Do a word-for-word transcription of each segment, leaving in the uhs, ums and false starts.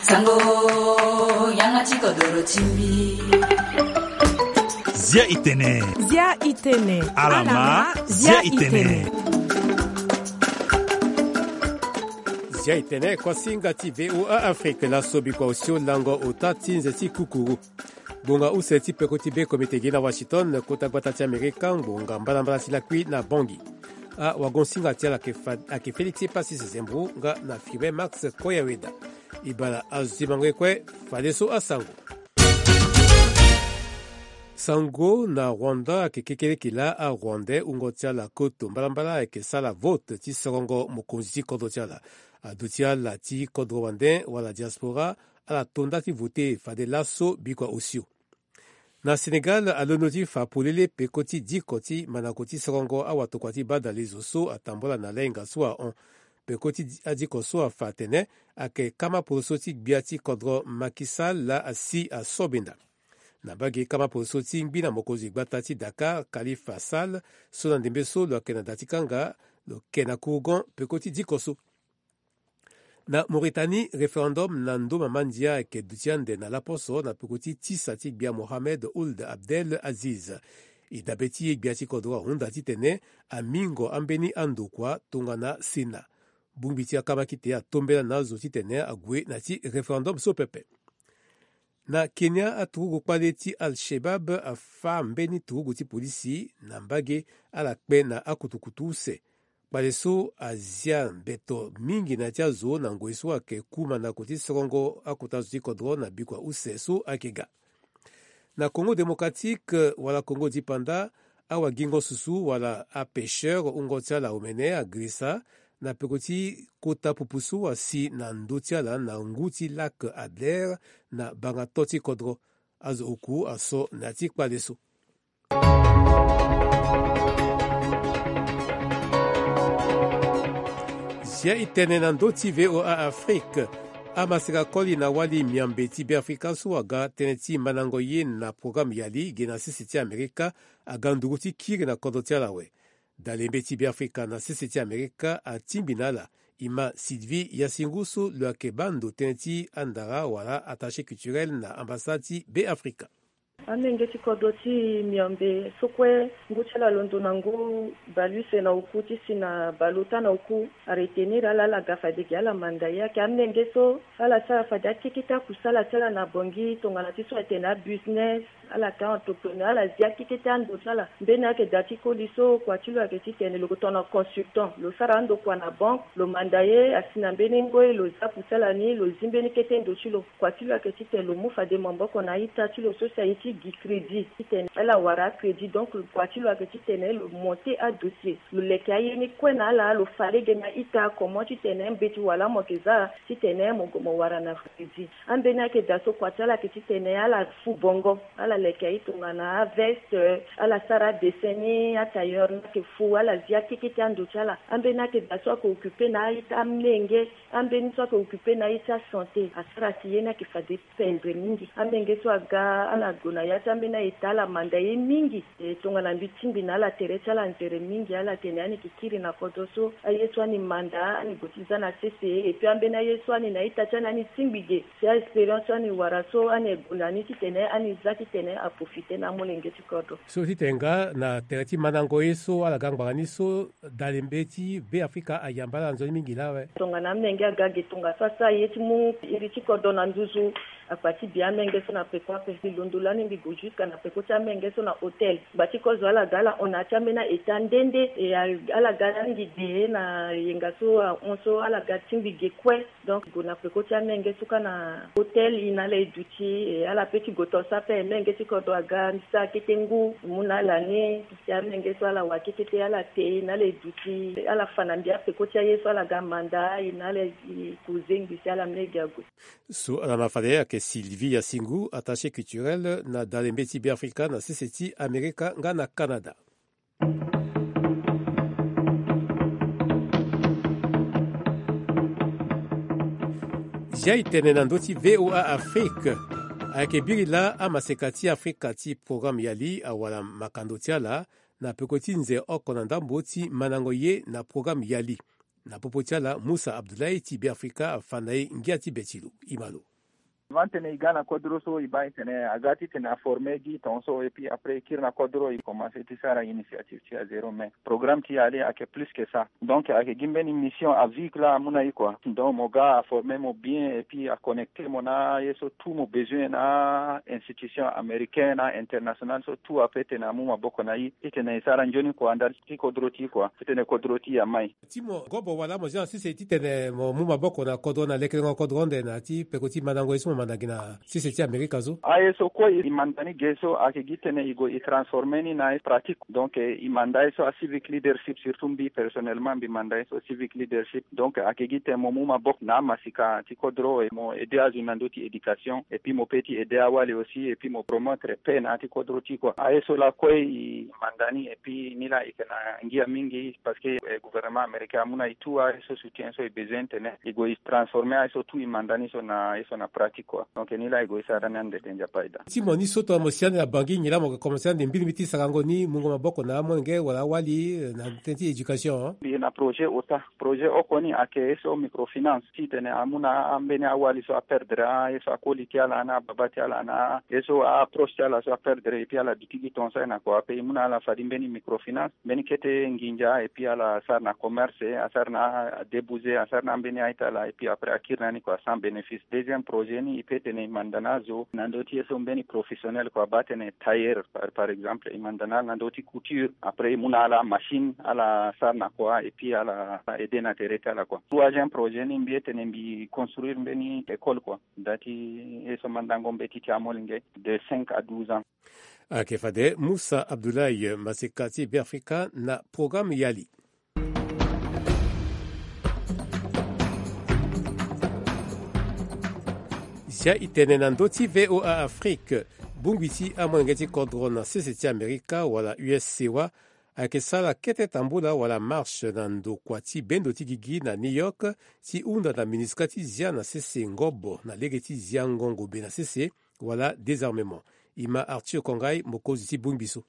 Sango, yanga ti kodoro ti mbi. Zia itene. Zia itene. Alama, zia itene. Zia itene, kuasinga ti V O A Afrique, laso bikua osio lango ota ti nze ti kukuru. Ngbonga use ti peko ti be komite gi na Washington, kota gbata ti Amerika, ngbonga mbalambala ti lakui na Bangui. Awagonsinga ti ala ayeke fa-, ayeke Félix Epasis Zembro nga na Firmin Max Koyaweda. E bala azo ti mango ye kue, fadeso asango. Sango na Rwanda ayeke kekeleke laa a-Rwandais wungo ti ala koto mbalambala ayeke sara vote ti sorongo mokonzi ti kodro ti ala. Aduti ala ti kodro wande wala diaspora, ala to nda ti vote fade laso bikua osio. Na Sénégal, alondo ti fa polele peko ti diko ti mandako ti sorongo awatokua ti badale zo so atambula na lainga so ahon. Peko ti di-, adiko so afa atene ayeke kama poroso ti gbia ti kodro Macky Sall laa asi asobenda. Na mbage kama poroso ti ngbi na mokonzi gbata ti Dakar, Khalifa Sall, so na ndembe so lo yeke na da ti kanga, lo yeke na kurugon peko ti diko so. Na Mauritanie, référendum na ndo mama ndia ayeke duti ande na laposo na peko ti tisa ti gbia Mohamed Ould Abdel Aziz. E dabe ti e gbia ti kodro ahunda titene amingo ambeni andokua tongana Sénat. Bongbi ti akamakite atombela na azo titene ague na ti référendum so pepe. Na Kenya, aturugu kpale ti Al-Shabab afâ mbeni turugu ti polisi na mbage, ala kpe na akutukutu use. Kpale so azia mbeto mingi na ya ti azo na ngoi so ayeke ku mandako ti sorongo akota zo ti kodro na bikua use so ayeke ga. Na Congo Démocratique wala Congo Dipanda, awagingo susu wala apêcheur wungo ti ala omene agirisa na peko ti kota pupu so asi na ndö ti ala na ngu ti lac Adler na banga to ti kodro. Azo oku aso na ya ti kpale so. Zia e tene na ndö ti V O A Afrique. Amaseka koli na wali miambe ti Beafrika so aga tënë ti mandango ye na programme Yali ge na sese ti Amerika aga nduru ti kiri na kodro ti ala awe. Dalembe ti Beafrika na sese ti Amerika atingbi na ala. E ma Sylvie Yasingu so lo yeke baa ndo tënë ti andara wala attaché culturel na ambassade ti Beafrika. Amenge ti kodro ti miombe so kue ngu ti ala alondo na ngu baleuse na oku ti si na baleota na oku aretenir ala, ala ga fade gi ala manda ye ayeke amenge so ala sara fade akeke ti akusala ti ala na Bangui tongana ti so atene abusiness, ala yeke a-entrepreneur, ala zi akeke ti ando ti ala. Mbeni ayeke da ti koli so kua ti lo ayeke titene lo yeke tongana consultant, lo sara andokua na banque, lo manda ye asi na mbeni ngoi, lo za akusala ni, lo zi mbeni kete ndo ti lo. Kua ti lo ayeke titene lo mu fade maboko na a-ita ti lo so si aye ti gi crédit titene ala wara acrédit. Donc kua ti lo ayeke titene lo monter adossier, lo leke aye ni kue na ala, lo fa lege na a-ita comment titene mbeti wala mo yeke za titene mo, mo wara na crédit. Ambeni ayeke da so kua ti ala ayeke titene ala fu bongo, ala leke aye tongana aveste, ala sara adessin ni, atailleur ni ayeke fu, ala zi akeke ti ando ti ala. Ambeni ayeke da so ayeke occuper na a-ita amenge. Ambeni so ayeke occuper na ye ti asanté, asara si ye ni ayeke fade pendre mingi. Amenge so aga, ala gue na ya ti ambeni a-ita, ala manda ye mingi. E tongana mbi tingbi na ala tere ti ala nzere mingi, ala tene ani yeke kiri na kodro so, aye so ani manda, ani gue ti za na sese, et puis ambeni aye so ani na a-ita ti ani, ani tingbi ge. Si a-expérience so ani wara so, ani gue na ni titene ani za titene aprofite na amolenge ti kodro. So titene nga na tere ti mandango ye so ala ga ngbanga ni so, dalembe ti Beafrika ayamba ala nzoni mingi laa awe. Tongana amenge aga ge tongaso asara ye ti mu iri ti kodro na nduzu, akpa ti bi amenge so na peko ape. Mbi londo lani mbi gue jusqu'à na peko ti amenge so na hôtel. Ngba ti kozo ala ga ala hon na ya ti ambeni a-ita nde nde, e a, ala ga lani gi ge na yenga so ahon so ala ga tingbi ge kue. Donc gue na peko ti amenge so kâ na hôtel, e na ala e duti, e ala pe ti gue to so ape, menge ti kodro aga, mbi sara kete ngu, mbi mu na ala ni, si amenge so ala wa kete te, ala te, e na ala e duti, ala fa na mbi apeko ti aye so ala ga manda, e na ala e cause ngbi si ala mu lege ague. So ala ma fade ayeke Sylvie Yasingu, attaché culturel na dalembe ti Beafrika na sese ti Amerika nga na Canada. Zia e tene na ndö ti V O A Afrique. Ayeke biri laa amaseka ti Afrika ti programme Yali awara makando ti ala na peko ti nze oko na ndambo ti mandango ye na programme Yali. Na popo ti ala, Musa Abdoulaye ti Be Afrika afa na e ngia ti be ti lo. E ma lo. Avant titene e ga na kodro so, e baa e tene a ga titene a former gi tongaso, et puis après e kiri na kodro, e commencer ti sara initiative ti a zéro, mais programme ti e ale ayeke plus que ça. Donc ayeke gi mbeni mission à vie laa amu na e quoi. Donc mo ga a former mo bien et puis a connecter mo na ye so tout mo besoin na institution américain na international so tout ape titene amu maboko na e titene e sara nzoni kua ndali ti kodro ti e kua titene kodro ti e amai. Ti mo gobo wala mo zia na sese titene mo mu maboko na kodro na lekerengo kodro ande na ti peko ti mandango ye so mo manda gi na sese ti Amerika so? Aye so kue e manda ni ge so ayeke gi titene e gue e transformer ni na pratique. Donc e manda ye so a civic leadership, surtout mbi personnellement mbi manda ye so civic leadership. Donc ayeke gi titene mo mu maboko na amasika ti kodro, e mo aider azo na ndö ti éducation et puis mo pe ti aider awali aussi et puis mo promettre paix na ya ti kodro ti e kua. Aye so laa kue e manda ni et puis ni laa e yeke na ngia mingi parce que gouvernement américain amu na e tout aye so soutien so e besoin titene e gue e transformer aye so tout e manda ni so na aye so na pratique kua. Donc ni laa e gue e sara ni ande te, Nzapa aye daa. Ti mo ni so tongana mo si ande na Bangui nyen laa mo yeke commencer ande mbirimbiri ti sarango ni mungo maboko na amolenge wala awali na tënë ti éducation? Mbi na projet ota. Projet oko ni ayeke ye so microfinance titene amu na ambeni awali so aperdre aye so akoli ti ala na ababa ti ala na ye so aproche ti ala so aperdre et puis ala duti gi tongaso aye na kua ape e mu na ala fade mbeni microfinance, mbeni kete nginza et puis ala sara na commerce, asara na adébouze, asara na ambeni aye ti ala et puis après akiri na ni kua sans bénéfice. Deuxième projet ni e pe tene e manda na azo na ndö ti ye so mbeni professionnel kua baa tene tailleur par, par exemple e manda na ala na ndö ti couture, après e mu na ala machine ala sara na kua et puis ala aider na tere ti ala kua. Troisième projet ni mbi ye tene mbi construire mbeni école kua. Nda ti ye so mandango mbeti ti amolenge de cinq à douze ans. Ayeke fade Musa Abdoulaye, maseka ti Be Afrika na programme Yali. Zia e tene na ndö ti V O A Afrique, bongbi ti amolenge ti kodro na sese ti Amerika wala U S C wa ayeke sara kete tambula wala marche na ndokua ti bendo ti gigi na New York ti hunda na MINUSCA ti zia na sese ngobo na lege ti zia ngongo be na sese wala désarmement. E ma Arthur Kongai, mokonzi ti bongbi so.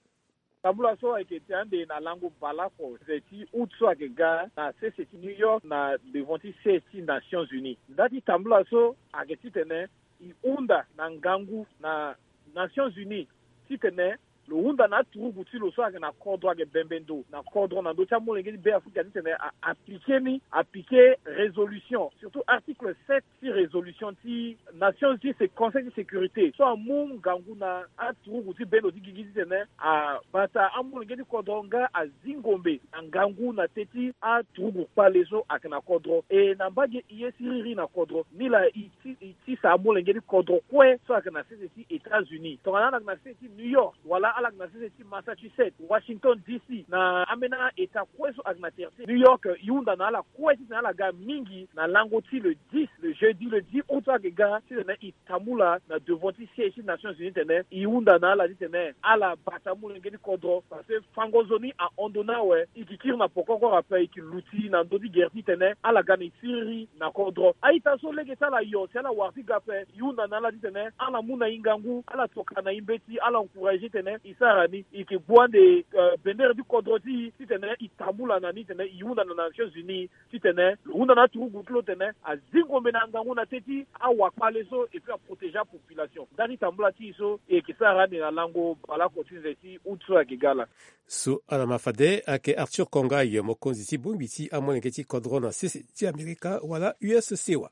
Tambula so ayeke ti ande na lango baleoko ti août so ayeke ga na sese ti New York na devant ti siège ti Nations Unies. Nda ti tambula so ayeke titene e hunda na ngangu na Nations Unies titene lo hunda na aturugu ti lo so ayeke na kodro ayeke bembe ndo na kodro na ndö ti amolenge ti Be Afrika titene a appliquer ni, appliquer résolution, surtout article sept ti résolution ti Nations Unies, se Conseil ti sécurité so amu ngangu na aturugu ti bendo ti gigi titene abata amolenge ti kodro nga azi ngombe na ngangu na teti aturugu kpale so ayeke na kodro. E na mbage e ye siriri na kodro ni laa e ti, e tisa amolenge ti kodro kue so ayeke na sese ti États-Unis, tongana ala yeke na sese ti New York wala ala yeke na sese ti Massachusetts, Washington D C, na ambeni a-état kue so ayeke na tere ti New York, e hunda na ala kue titene ala ga mingi na lango ti le dix, le jeudi le dix août so ayeke ga, titene e tambula na devant ti siège ti Nations Unies titene e hunda na ala titene ala bata amolenge ti kodro, parce que fango nzoni ahon ndo ni awe. E ke kiri na poko oko ape, e ke luti na ndö ti gere titene ala ga na e siriri na kodro. A-ita so lege ti ala yo si ala wara ti ga ape, e hunda na ala titene ala mu na e ngangu, ala tokua na e mbeti, ala encourager titene e sara ni. E ke gbu ande, euh, bendere ti kodro ti e titene e tambula na ni titene e hunda na Nations Unies titene lo hunda na aturugu ti lo titene azi ngombe na ngangu na teti awakpale so et puis aprotéger apopulation. Nda ti tambula ti e so e yeke sara ande na lango baleoko ti nze ti août so ayeke ga laa. So ala ma fade ayeke Arthur Kongai, mokonzi ti bongbi ti amolenge ti kodro na sese ti Amerika wala U S C wa.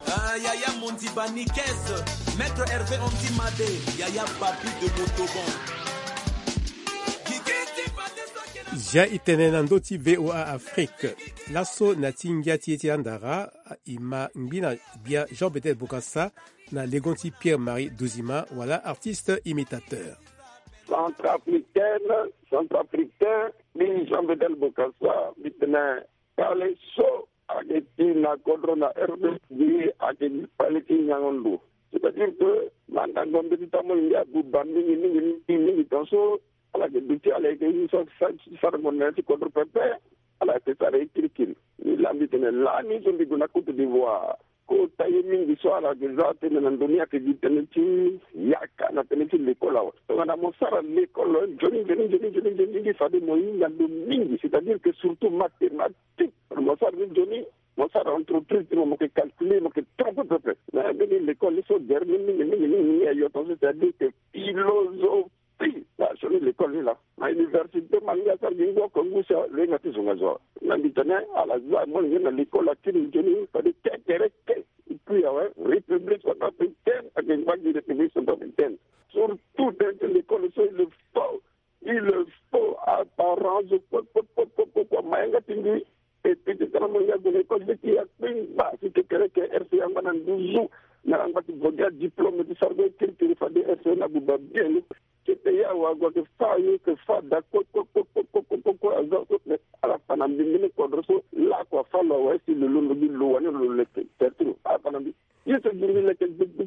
Ah, Yaya Mondi Banikes, Maître Hervé Andy Madé, Yaya Papi de Motoban. Zia e tene na ndö ti V O A Afrique. Laso na ti ngia ti ye ti andara, e ma ngbi na gbia Jean Bedel Bokassa na legon ti Pierre Marie Dozima wala artiste imitateur. Centrafricaine, centrafricain, mbi Jean Bedel Bokassa, mbi tene kpale so ayeke ti na kodro na R D C ayeke gi kpale ti nyango ndo. C'est-à-dire que mandango mbeti ti amolenge abuba mingi mingi mingi mingi tongaso ala yeke duti ala yeke use so ti sarango na ya ti kodro pepe. Ala yeke sara ye kirikiri. Ni laa mbi tene lani so mbi gue na Côte d'Ivoire, kota ye mingi so ala yeke za tënë na ndo ni ayeke gi tënë ti yaka na tënë ti lekol awe. Tongana mo sara lekol nzoni nzoni nzoni nzoni nzoni nzoni fade mo hinga ndo mingi, c'est-à-dire que surtout mathématique. Mo sara ni nzoni, mo sara entreprise ti mo, mo ke calculer, mo ke trompe pepe. Mais mbeni l'école ni so gere ni mingi mingi mingi mingi ayo tongaso, c'est-à-dire que philosophie na sioni l'école ni laa. Na université ma ngia asara gi ngu oko ngu si alenga ti zonga zo. Na mbi tene ala za molenge na l'école akiri nzoni fade kekereke. Et puis awe, République centrafricaine ayeke ngba gi République centrafricaine. Surtout tene ti l'école so il faut, il faut apparence kue kue kue kue kue kue mayanga ti mbi. Et puis ti tene mo ya gue na école ti ya kpengba si kekereke R C A angba na nduzu. Na angba ti gue gi adiplôme ti sara gue kirikiri fade R C A na buba bien ni. Kete ya wa gue ke fa yo ke fa da kue kue kue kue kue kue aza so. Mais ala fa na mbi mbeni kodro so lakue afa lo awe si lo londo gi lo wani lo leke tertiro ala fa na mbi. Ye so gi mbi leke gbigbi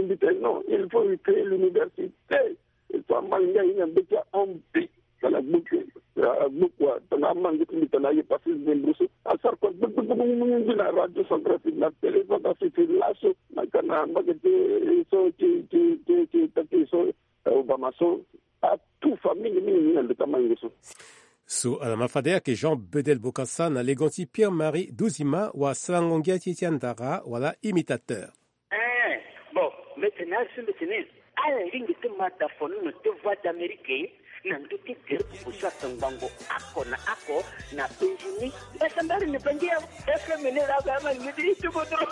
mbi tene non, il faut recréer l'université. Il faut amange aye na mbeti ahon mbi. Tongana gbuku, tongana amange ti mbi tongana aye passer dembrousse asara kue gbigbi na radio centrafrique na télé centrafrique laso. Na ka na mbage ti so ti ti ti ti taki so. Obama so atufa mingi mingi mingi na ndeko amange so. So ala ma fade ayeke Jean Bedel Bokassa na legon ti Pierre Marie Duzima wa sarango ngia ti e ti andara wala imitateur. Eh, bon, mbi tene azo mbi tene ala lingbi ti ma da fono na te Voix d'Amérique na ndö ti gere popo so ayeke ngbangbo oko na oko na penzi ni. Basa mbari ni bangi ya F M ni la ba ma ni ti tubo dro.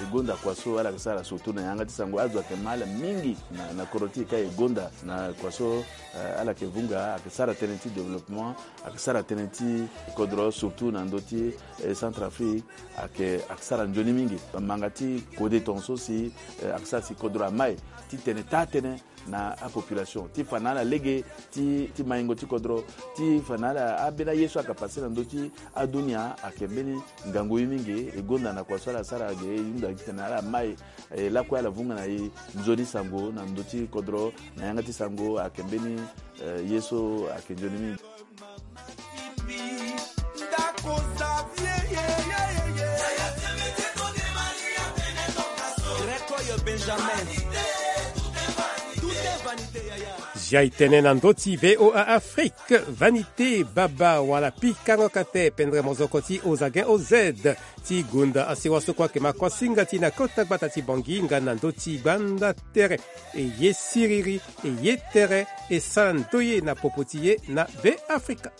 E gonda kua so ala yeke sara surtout na yanga ti sango azo ayeke ma ala mingi na, na kodro ti e ka e gonda na kua so. Eh, ala yeke vunga ayeke sara tënë ti développement, ayeke sara tënë ti kodro surtout na ndö ti, eh, Centrafrique. Ayeke, ayeke sara nzoni mingi. Manga ti kode tongaso si, eh, ayeke sara si kodro amai ti tene taa tënë na apopulation ti fa na ala lege ti, ti maingo ti kodro, ti fa na ala ambeni aye so ayeke passe na ndö ti adunia ayeke mbeni ngangu ye mingi. E gonda na kua so ala sara ge e hunda gi tene ala mai, eh, lakue ala vunga na e nzoni sango na ndö ti kodro na yanga ti sango ayeke mbeni, eh, ye so ayeke nzoni mingi. Zia e tene na ndö ti V O A Afrique, vanité baba wala pikango kate pendere mozoko ti ozagen oz. Ti gonda asewa so kue ayeke ma kuasinga ti e na kota gbata ti Bangui nga na ndö ti gbanda tere. E ye siriri, e ye tere, e sara ndoye na popo ti e na Beafrika.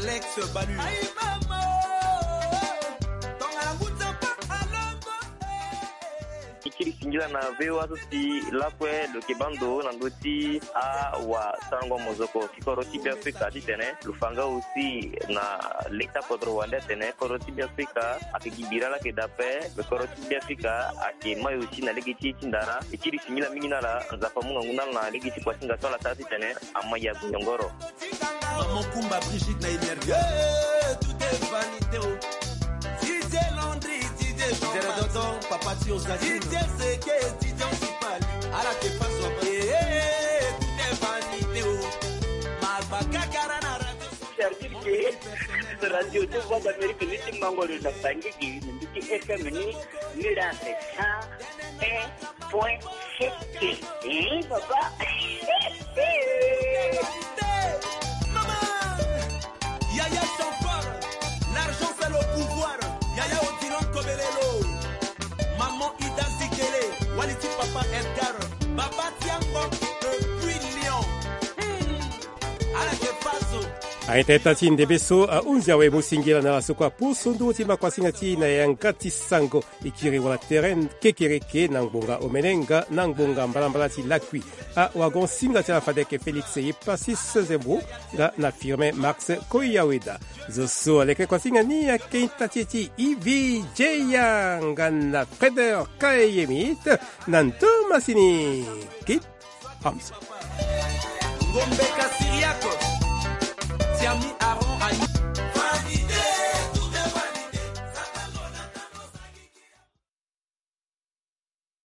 Alex Balu. E kiri singila na V O A so si lakue lo yeke baa ndo na ndö ti awasarango mozoko ti kodro ti Beafrika titene lo fa nga aussi na leta kodro wande atene kodro ti Beafrika ayeke gi bira laa ayeke daa ape. Kodro ti Beafrika ayeke mai aussi na lege ti e ti ndara. E kiri singila mingi na ala, Nzapa amu ngangu na ala na lege ti kuasinga so ala sara titene ama ya gue nyongoro. Maman Kumba Brigitte na Emerga. Eh, tout est vanité, oh. D J Landry, D J Jean Zero Dodo, papa ti Ozaki. D J Seke, D J Sipali. Ala ke paso. Eh, eh, tout est vanité, oh. Malba kakara na radio. Service de radio de Voix d'Amérique ni ti mango lo na Bangui, ni ti F M ni, ni la sa. Eh. Point C T. Eh, papa. Yaya Jean-Paul, l'argent c'est le pouvoir. Yaya Odilon Kobelelo. Maman Ida Zikele, Waliti papa Edgar, Baba Tiango, depuis Lyon. Hmm. Ala ke paso. Aita ita ti ndembe so ahunzi awe mu singila na ala so kue apusu nduru ti makuasinga ti e na yanga ti sango. E kiri wala tere kekereke na ngbonga omene nga na ngbonga mbalambala ti lakui. Awagon singa ti ala fade ayeke Félix Epasis Zembo nga na Firmin Max Koyaweda. Zo so aleke kuasinga ni ayeke ita ti e ti Ivi Jeya nga na Freder Kayemit na ndo masini. Kit Hamza. Ngombe Kasiriako, Tiami Aaron Ani.